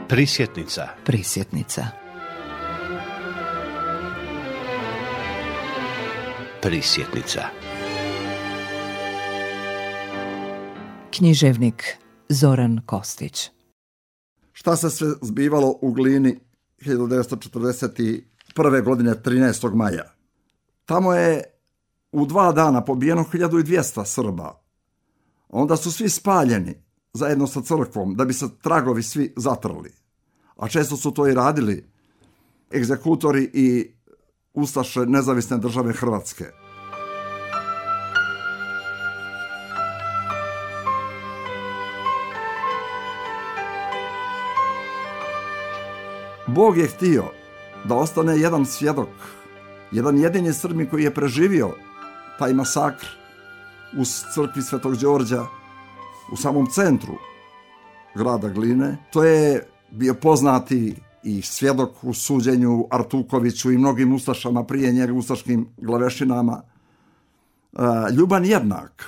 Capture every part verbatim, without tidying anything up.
Prisjetnica. Prisjetnica. Prisjetnica. Književnik Zoran Kostić. Šta se sve zbivalo u Glini hiljadu devetsto četrdeset prve. godine trinaestog maja? Tamo je u dva dana pobijeno hiljadu dvjesto Srba. Onda su svi spaljeni zajedno sa crkvom da bi se tragovi svi zatrli. A često su to i radili egzekutori i ustaše Nezavisne države Hrvatske. Bog je htio da ostane jedan svjedok, jedan jedini Srbin koji je preživio taj masakr u crkvi Svetog Đorđa u samom centru grada Gline. To je bio poznati i svjedok u suđenju Artukoviću i mnogim ustašama prije njega, ustaškim glavešinama. Ljuban Jednak,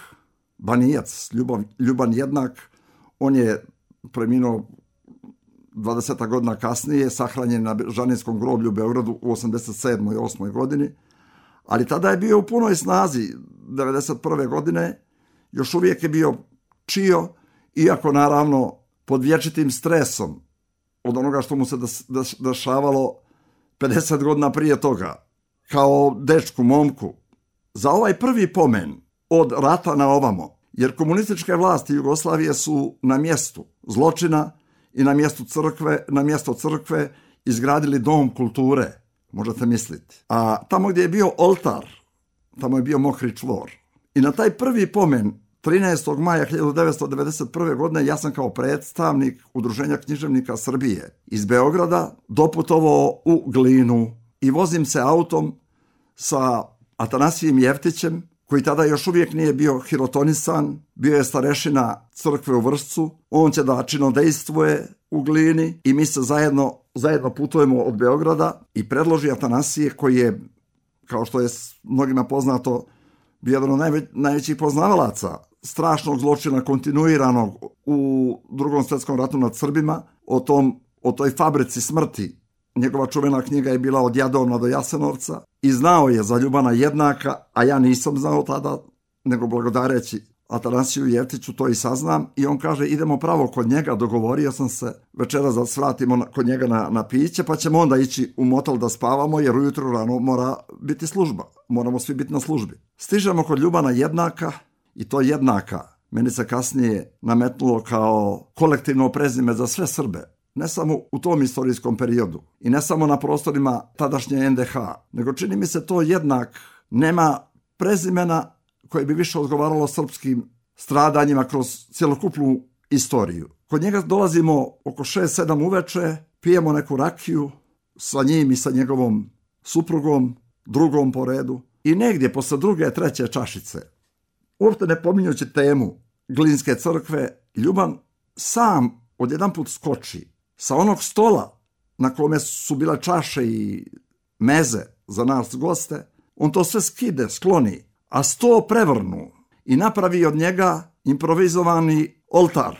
Banijac, Ljuban, Ljuban Jednak, on je preminuo dvadeset godina kasnije, sahranjen na Žaninskom groblju u Beogradu u osamdeset sedmoj osmoj godini, ali tada je bio u punoj snazi. devedeset prve. godine još uvijek je bio čio, iako naravno pod vječitim stresom od onoga što mu se dešavalo pedeset godina prije toga, kao dečku, momku. Za ovaj prvi pomen od rata na ovamo, jer komunističke vlasti Jugoslavije su na mjestu zločina i na mjestu crkve, na mjesto crkve izgradili dom kulture, možete misliti. A tamo gdje je bio oltar, tamo je bio mokri čvor. I na taj prvi pomen trinaestog maja hiljadu devetsto devedeset prve. godine ja sam kao predstavnik Udruženja književnika Srbije iz Beograda doputovao u Glinu i vozim se autom sa Atanasijem Jeftićem, koji tada još uvijek nije bio hirotonisan, bio je starešina crkve u Vršcu, on će da činodejstvuje u Glini i mi se zajedno, zajedno putujemo od Beograda i predloži Atanasije, koji je, kao što je mnogima poznato, bio jedan od najveć, najvećih poznavalaca strašnog zločina kontinuiranog u Drugom svjetskom ratu nad Srbima, o, tom, o toj fabrici smrti. Njegova čuvena knjiga je bila Od Jadovna do Jasenovca i znao je za Ljubana Jednaka, a ja nisam znao tada, nego blagodareći Atanasiju Jeftiću to i saznam, i on kaže idemo pravo kod njega, dogovorio sam se večeras da svratimo kod njega na, na piće, pa ćemo onda ići u motel da spavamo, jer ujutro rano mora biti služba, moramo svi biti na službi. Stižemo kod Ljubana Jednaka i to Jednaka meni se kasnije nametnulo kao kolektivno prezime za sve Srbe. Ne samo u tom istorijskom periodu i ne samo na prostorima tadašnje en de ha, nego čini mi se to Jednak nema prezimena koje bi više odgovaralo srpskim stradanjima kroz cjelokupnu istoriju. Kod njega dolazimo oko šest sedam uveče, pijemo neku rakiju sa njim i sa njegovom suprugom, drugom po redu, i negdje posle druge, treće čašice, uopšte ne pominjući temu Glinske crkve, Ljuban sam odjedanput skoči sa onog stola na kome su bile čaše i meze za nas goste, on to sve skide, skloni, a sto prevrnu i napravi od njega improvizovani oltar.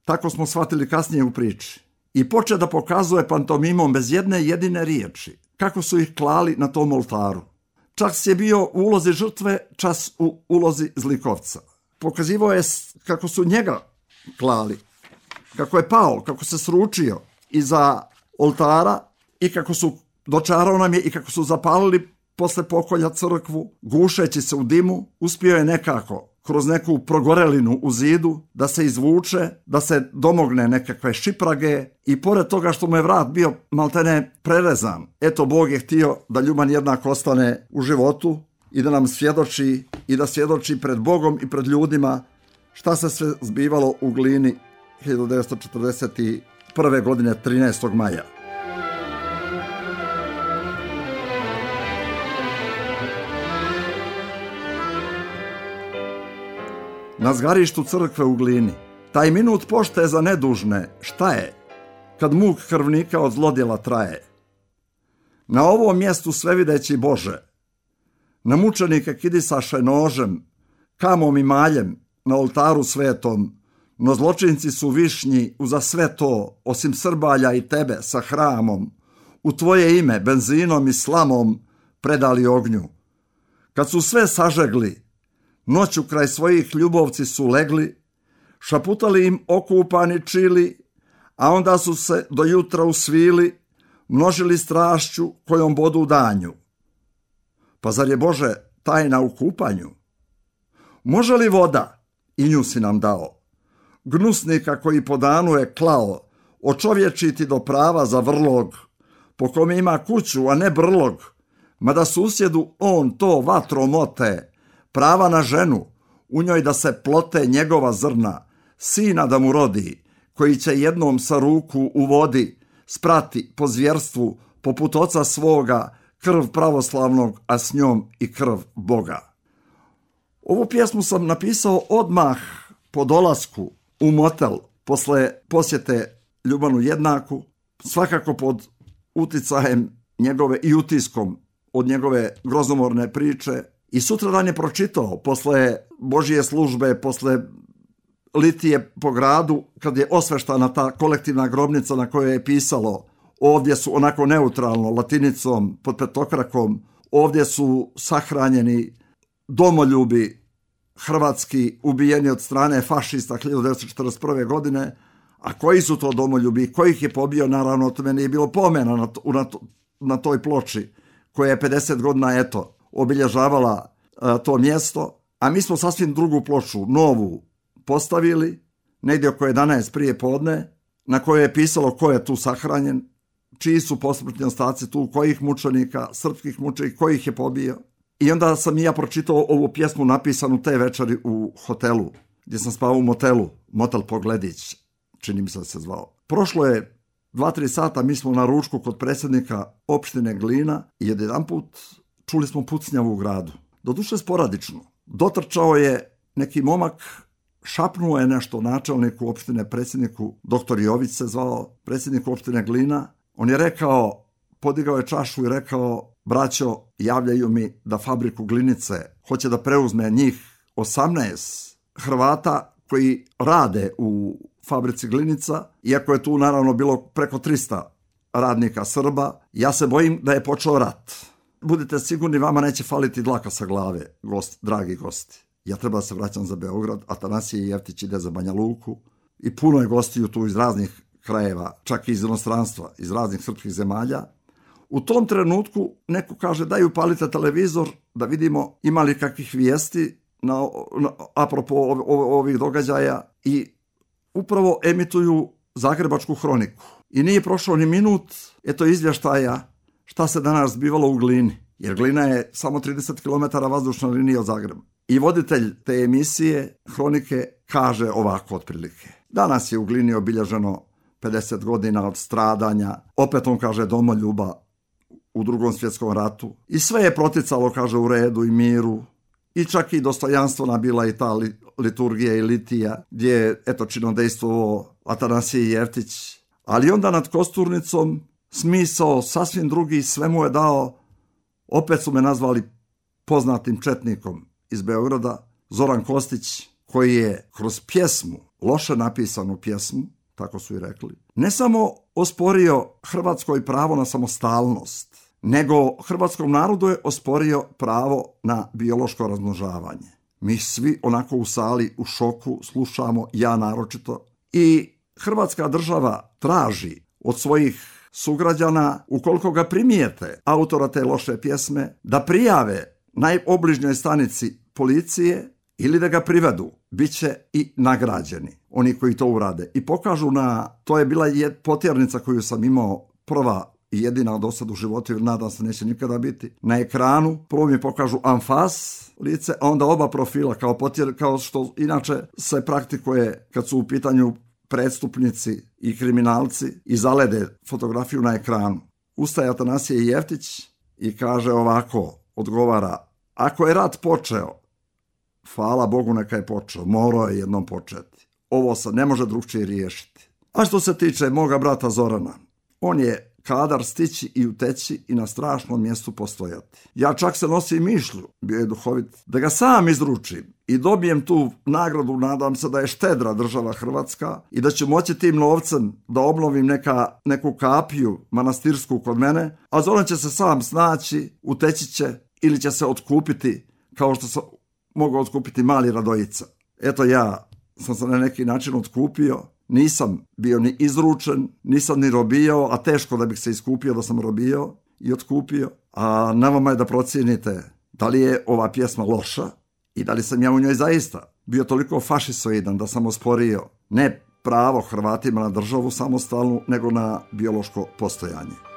Tako smo shvatili kasnije u priči. I poče da pokazuje pantomimom bez jedne jedine riječi kako su ih klali na tom oltaru. Čas je bio u ulozi žrtve, čas u ulozi zlikovca. Pokazivao je kako su njega klali, kako je pao, kako se sručio iza oltara i kako su, dočarao nam je, i kako su zapalili posle pokolja crkvu, gušeći se u dimu, uspio je nekako kroz neku progorelinu u zidu da se izvuče, da se domogne nekakve šiprage, i pored toga što mu je vrat bio maltene prerezan, eto Bog je htio da Ljuban Jednak ostane u životu i da nam svjedoči, i da svjedoči pred Bogom i pred ljudima šta se sve zbivalo u Glini hiljadu devetsto četrdeset prve. godine trinaestog maja. Na zgarištu crkve u Glini, taj minut pošte za nedužne, šta je, kad muk krvnika od zlodjela traje? Na ovom mjestu svevideći Bože, na mučenike kidisaše nožem, kamom i maljem, na oltaru svetom, no zločinci su višnji uza sve to, osim Srbalja i tebe sa hramom, u tvoje ime benzinom i slamom predali ognju. Kad su sve sažegli, noću kraj svojih ljubovci su legli, šaputali im okupani čili, a onda su se do jutra usvili, množili strašću kojom bodu u danju. Pa zar je, Bože, tajna u kupanju? Može li voda, i nju si nam dao, gnusnika koji po danu je klao, očovječiti do prava za vrlog, po kome ima kuću, a ne brlog, mada susjedu on to vatrom ote, prava na ženu, u njoj da se plote njegova zrna, sina da mu rodi, koji će jednom sa ruku u vodi sprati po zvjerstvu, poput oca svoga, krv pravoslavnog, a s njom i krv Boga. Ovu pjesmu sam napisao odmah po dolasku u motel posle posjete Ljubanu Jednaku, svakako pod uticajem njegove i utiskom od njegove grozomorne priče. I sutradan je pročitao posle Božije službe, posle litije po gradu, kad je osveštana ta kolektivna grobnica na kojoj je pisalo, ovdje su onako neutralno, latinicom, pod petokrakom, ovdje su sahranjeni domoljubi hrvatski ubijeni od strane fašista hiljadu devetsto četrdeset prve. godine, a koji su to domoljubi, kojih je pobio, naravno, o tome nije bilo pomena na, to, na, to, na toj ploči, koja je pedeset godina, eto, obilježavala a, to mjesto, a mi smo sasvim drugu ploču, novu, postavili, negdje oko jedanaest prije podne, na kojoj je pisalo ko je tu sahranjen, čiji su posmrtni ostaci tu, kojih mučenika, srpskih mučenika, kojih je pobio. I onda sam i ja pročitao ovu pjesmu napisanu te večeri u hotelu, gdje sam spavao u motelu, motel Pogledić, čini mi se da se zvao. Prošlo je dva, tri sata, mi smo na ručku kod predsjednika opštine Glina i jedanput čuli smo pucnjavu u gradu. Doduše sporadično. Dotrčao je neki momak, šapnuo je nešto načelniku opštine, predsjedniku, doktor Jović se zvao, predsjednik opštine Glina. On je rekao, podigao je čašu i rekao, braćo, javljaju mi da fabriku Glinice hoće da preuzme njih osamnaest Hrvata koji rade u fabrici Glinica, iako je tu naravno bilo preko trista radnika Srba. Ja se bojim da je počeo rat. Budite sigurni, vama neće faliti dlaka sa glave, gost, dragi gosti. Ja treba da se vraćam za Beograd, Atanasije Jeftić ide za Banja Luku i puno je gostiju tu iz raznih krajeva, čak i iz inostranstva, iz raznih srpskih zemalja. U tom trenutku neko kaže, daj upalite televizor da vidimo ima li kakvih vijesti na, na, apropo ov, ov, ovih događaja, i upravo emituju Zagrebačku hroniku. I nije prošao ni minut, eto izvještaja šta se danas zbivalo u Glini, jer Glina je samo trideset kilometara vazdušna linija od Zagreba. I voditelj te emisije hronike kaže ovako otprilike. Danas je u Glini obilježeno pedeset godina od stradanja, opet on kaže domoljuba u Drugom svjetskom ratu. I sve je proticalo, kaže, u redu i miru. I čak i dostojanstvena bila i ta liturgija i litija, gdje je, eto, činodejstvovao Atanasije Jeftić. Ali onda nad kosturnicom smisao sasvim drugi, sve mu je dao, opet su me nazvali poznatim četnikom iz Beograda, Zoran Kostić, koji je kroz pjesmu, loše napisanu pjesmu, tako su i rekli, ne samo osporio Hrvatskoj pravo na samostalnost, nego hrvatskom narodu je osporio pravo na biološko razmnožavanje. Mi svi onako u sali u šoku slušamo, ja naročito, i Hrvatska država traži od svojih sugrađana, ukoliko ga primijete, autora te loše pjesme, da prijave najobližnjoj stanici policije ili da ga privedu. Biće i nagrađeni oni koji to urade. I pokažu na, to je bila potjernica koju sam imao, prva i jedina do sad u životu, jer nadam se neće nikada biti, na ekranu. Prvo mi pokažu anfas lice, a onda oba profila kao potjer, kao što inače se praktikuje kad su u pitanju prestupnici i kriminalci, i zalede fotografiju na ekranu. Ustaje Atanasije Jeftić i kaže ovako, odgovara, ako je rat počeo, hvala Bogu neka je počeo, morao je jednom početi. Ovo se ne može drugčije riješiti. A što se tiče moga brata Zorana, on je kadar stići i uteći i na strašnom mjestu postojati. Ja čak se nosim mišlju, bio je duhovit, da ga sam izručim i dobijem tu nagradu, nadam se da je štedra država Hrvatska i da ću moći tim novcem da obnovim neka, neku kapiju manastirsku kod mene, a Zoran će se sam snaći, uteći će ili će se otkupiti kao što se mogao otkupiti mali Radojica. Eto, ja sam se na neki način otkupio, nisam bio ni izručen, nisam ni robio, a teško da bih se iskupio da sam robio i otkupio. A na vama je da procijenite da li je ova pjesma loša i da li sam ja u njoj zaista bio toliko fašisoidan da sam osporio ne pravo Hrvatima na državu samostalnu, nego na biološko postojanje.